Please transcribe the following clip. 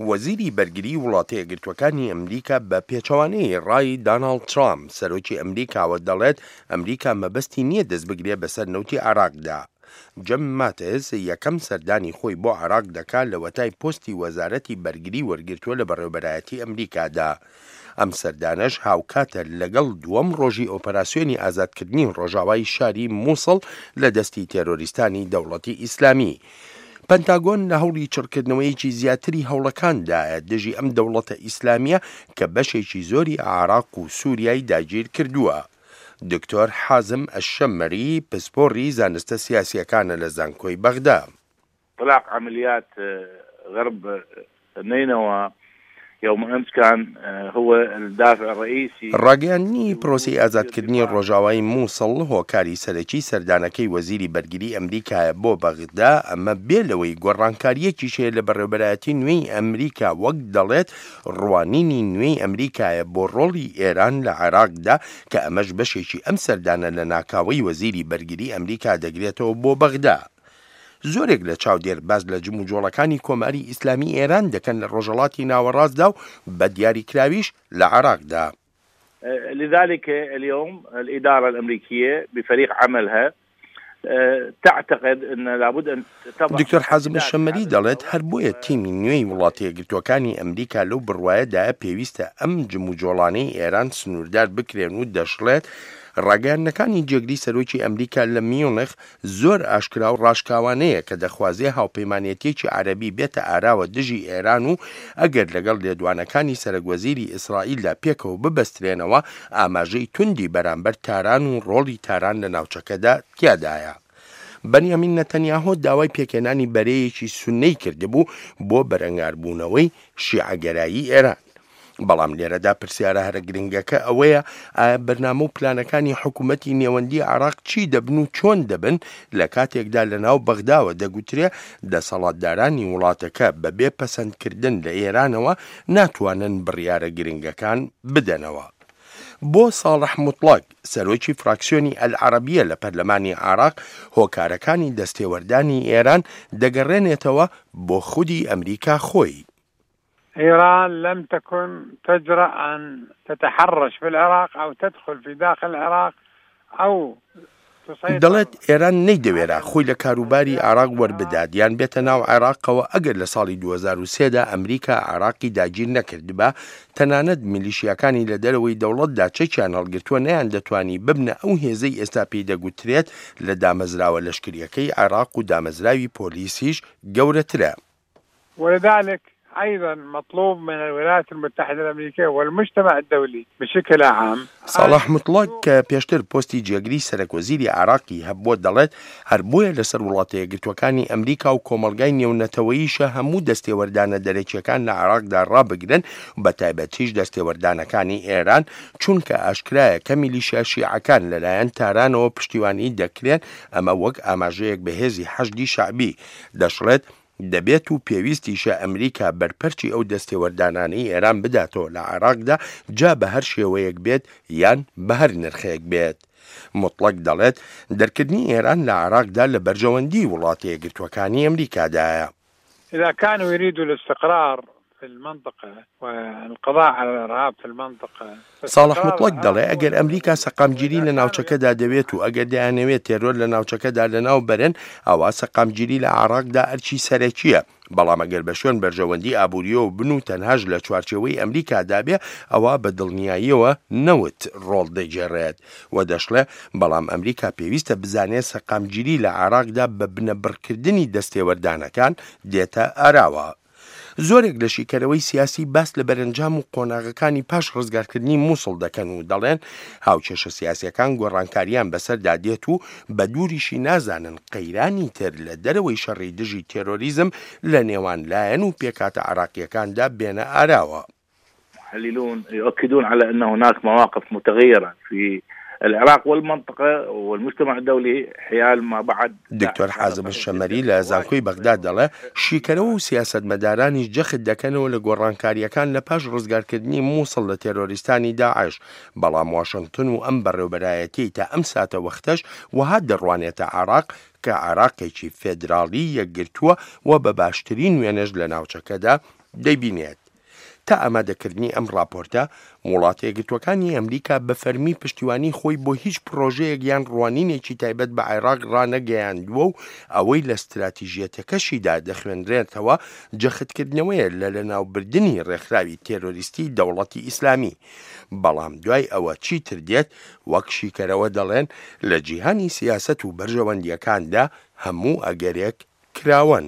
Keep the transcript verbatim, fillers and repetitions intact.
وەزیری بەرگری وڵاتە یەکگرتووەکانی ئەمریکا بە پێچەوانەی ڕای داناڵد ترامپ سەرۆکی ئەمریکاوە دەڵێت ئەمریکا مەبەستی نییە دەست بگرێ بەسەر نەوتی عێراقدا. جم ماتس یەکەم سەردانی خۆی بۆ عێراق دەکات لەوەتای پۆستی وەزارەتی بەرگری وەرگرتووە لە بەڕێوەبەرایەتی ئەمریکادا. ئەم سەردانەش هاوکاتە لەگەڵ دووەم ڕۆژی ئۆپەراسیۆنی ئازادکردنی ڕۆژاوای شاری مووسڵ لە دەستی تێرۆریستانی دەوڵەتی ئیسلامی. پەنتاگۆن لە هەوڵی چڕکردنەوەیەکی زیاتری هەوڵەکاندایە دژی ئەم دەوڵەتە ئیسلامیە کە بەشێکی زۆری عێراق و سووریای داگیر کردووە. دکتۆر حازم ئەشەمەری پسپۆڕی زانستە سیاسیەکانە لە زانکۆی بەغدا. اطلاق عمليات غرب نينوى يوم أمس كان هو الدافع الرئيسي. ڕاگەیاندنی پرۆسەی ئازادکردنی ڕۆژاوای مووسڵ هۆکاری سەرەکی سەردانەکەی وەزیری بەرگری ئەمریکایە بۆ بەغدا، ئەمە بێ لەوەی گۆڕانکاریەکیش هەیە لە بەڕێوەبەرایەتی نوێی ئەمریکا، وەک دەڵێت ڕوانینی نوێی ئەمریکایە بۆ ڕۆڵی ئێران لە عێراقدا، کە ئەمەش بەشێکی ئەم سەردانە لە ناکاوەی وەزیری بەرگری ئەمریکا دەگرێتەوە بۆ بەغدا. زۆرێک لە چاودێر باس لە جموجۆڵەکانی کۆماری ئیسلامی ئێران دەکەن لە ڕۆژهەڵاتی ناوەڕاستدا و بە دیاریکراویش لە عێراقدا. لذلك اليوم الإدارة الأمريكية بفريق عملها تعتقد أن لابد أن تضع. دکتۆر حازم الشەمەری دەڵێت هەر بۆیە تیمی نوێی وڵاتە یەکگرتووەکانی ئەمریکا لەو بڕوایەدایە پێویستە ئەم جموجۆڵانەی ئێران سنووردار بکرێن و دەشڵێت ڕاگەیاندنەکانی جێگری سەرۆکی ئەمریکا لە میونخ زۆر ئاشکرا و ڕاشکاوانەیە کە دەخوازێ هاوپەیمانێتیەکی عەرەبی بێتە ئاراوە دژی ئێران و ئەگەر لەگەڵ لێدوانەکانی سەرەک وەزیری ئیسرائیلدا پێکەوە ببەسترێنەوە ئاماژەی توندی بەرامبەر تاران و ڕۆڵی تاران لە ناوچەکەدا تیادایە. بەنیامین نەتەنیاهۆ داوای پێکهێنانی بەرەیەکی سوننەی کردبوو بۆ بەرەنگاربوونەوەی شیعەگەرایی ئێران. بەڵام لێرەدا پرسیارە هەرە گرنگەکە ئەوەیە ئایا بەرنامە و پلانەکانی حکوومەتی نێوەندی عێراق چی دەبن و چۆن دەبن لە کاتێکدا لە ناو بەغداوە دەگوترێ دەسەڵاتدارانی وڵاتەکە بەبێ پەسەندکردن لە ئێرانەوە ناتوانن بڕیارە گرنگەکان بدەنەوە. بۆ ساڵح موتڵەگ سەرۆکی فراکسیۆنی ئەلعەرەبیە لە پەرلەمانی عێراق هۆکارەکانی دەستێوەردانی ئێران دەگەڕێنێتەوە بۆ خودی ئەمریکا خۆی. إيران لم تكن تجرأ أن تتحرش في العراق أو تدخل في داخل العراق أو دەڵێت ئێران نەیدەوێرا خۆی لە کاروباری عێراق وەربدات یان بێتە ناو عێراقەوە ئەگەر لە ساڵی دوو هەزار و سێ دا ئەمریکا عێراقی داگیر نەکردبا، تەنانەت میلیشیاکانی لە دەرەوەی دەوڵەتدا چەکیان هەڵگرتووە نەیان دەتوانی ببنە ئەو هێزەی ئێستا پێی دەگوترێت لە دامەزراوە لەشکریەکەی عێراق و دامەزراوی پۆلیسیش گەورەترە. ولذلك أيضا مطلوب من الولايات المتحدة الأمريكية والمجتمع الدولي بشكل عام. ساڵح مطلق کە پێشتر پۆستی جێگری سەرەک وەزیری عێراقی هەبووە دەڵێت هەر بۆیە لەسەر وڵاتە یەکگرتووەکانی ئەمریکا و کۆمەڵگای نێونەتەوەییشە هەموو دەستێوەردانە دەرەکیەکان لە عێراقدا ڕابگرن بە تایبەتیش دەستێوەردانەکانی ئێران، چونکە ئاشکرایە کە میلیشیا شیعەکان لەلایەن تارانەوە پشتیوانی دەکرێن، ئەمە وەک ئاماژەیەک بەهێزی حەشدی شەعبی. دەشڵێت دەبێت و پێویستیشە ئەمریکا بەرپەرچی ئەو دەستێوەردانانەی ئێران بداتەوە لە عێراقدا، جا بە هەر شێوەیەک بێت یان بە هەر نرخێک بێت. مطلق دەڵێت دەرکردنی ئێران لە عێراقدا لە بەرژەوەندی وڵاتە یەکگرتووەکانی ئەمریکادایە. إذا كانوا يريدوا الاستقرار في المنطقة والقضاء على الإرهاب في المنطقة. ساڵح مطلق دەڵێ ئەگەر ئەمریکا سەقامگیری لە ناوچەکەدا دەوێت و ئەگەر دەیانەوێت تێرۆر لە ناوچەکەدا لەناو بەرن، ئەوە سەقامگیری لە عێراقدا ئەرکی سەرەکیە. بەڵام ئەگەر بە شوێن بەرژەوەندی ئابووریەوە بن و تەنهاش لە چوارچێوەی ئەمریکادا بێ، ئەوە بە دڵنیاییەوە نەوت ڕۆڵ دەگێڕێت. و دەشڵێ بەڵام ئەمریکا پێویستە بزانێت سەقامگیری لە عێراقدا بە بنەبڕکردنی دەستێوەردانەکان دێتە ئاراوە. زۆرێک لە شیکەرەوەی سیاسی باس لە بەرەنجام و قۆناغەکانی پاش ڕزگارکردنی مووسڵ دەکەن و دەڵێن هاوکێشە سیاسیەکان گۆڕانکاریان بەسەردا دێت و بە دووریشی نازانن قەیرانی تر لە دەرەوەی شەڕی دژی تێرۆریزم لە نێوان لایەن و پێکهاتە عێراقیەکاندا بێنە ئاراوە. محللون يؤكدون على أن هناك مواقف متغيرة في العراق والمنطقة والمجتمع الدولي حيال ما بعد. دکتۆر حازم الشەمەری لە زانکۆی بەغدا دەڵێ شیکەرەوە و سیاسەتمەدارانیش جەخت دەکەنەوە لە گۆڕانکاریەکان لە پاش ڕزگارکردنی مووسڵ لە تێرۆریستانی داعش، بەڵام واشنگتن و ئەم بەڕێوبەرایەتیەی تا ئەم ساتە وەختەش وەها دەڕوانێتە عێراق کە عێراقێکی فێدراڵی یەکگرتووە و بە باشترین وێنەش لە ناوچەکەدا دەیبینێت. تا ئامادەکردنی ئەم ڕاپۆرتە، وڵاتە یەکگرتووەکانی ئەمریکا بە فەرمی پشتیوانی خۆی بۆ هیچ پڕۆژەیەک یان ڕوانینێکی تایبەت بە عێراق ڕانەگەیاندووە و ئەوەی لە ستراتیژیەتەکەشیدا دەخوێنرێتەوە جەختکردنەوەیە لە لەناوبردنی ڕێکخراوی تێرۆریستی دەوڵەتی ئیسلامی. بەڵام دوای ئەوە چیتر دێت، وەک شیکەرەوە دەڵێن لە جیهانی سیاسەت و بەرژەوەندییەکاندا هەموو ئەگەرێک کراوەن.